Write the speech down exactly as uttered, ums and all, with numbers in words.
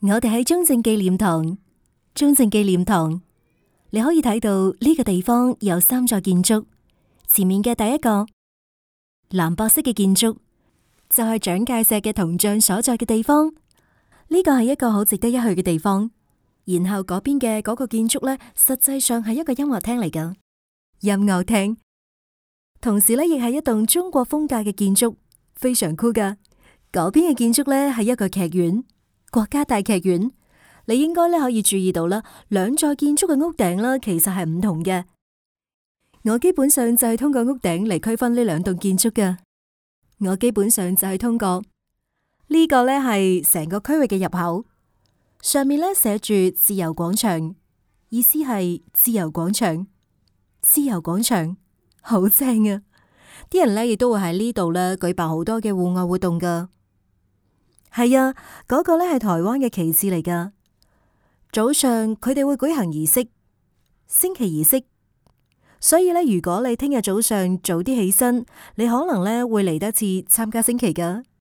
我哋喺中正紀念堂，中正紀念堂，你可以睇到呢個地方有三座建築。前面嘅第一個藍白色嘅建築就係蔣介石嘅銅像所在嘅地方，呢個係一個好值得一去嘅地方。然後嗰邊嘅嗰個建築呢，實際上係一個音樂廳嚟㗎，音樂廳，同時呢亦係一棟中國風格嘅建築，非常酷㗎。嗰邊嘅建築呢係一個劇院，國家大劇院。你應該呢可以注意到啦，兩座建築嘅屋頂啦，其實係唔同嘅。我基本上就係通過屋頂嚟區分呢兩棟建築㗎。我基本上就係通過呢個呢係成個區域嘅入口，上面呢寫住自由廣場，意思係自由廣場，自由廣場好正啊！啲人呢亦都會喺呢度呢舉辦好多嘅戶外活動噶。係啊，嗰個呢係台灣嘅旗幟嚟噶。早上佢哋會舉行儀式，升旗儀式。所以呢，如果你聽日早上早啲起身，你可能呢會嚟得切參加升旗噶。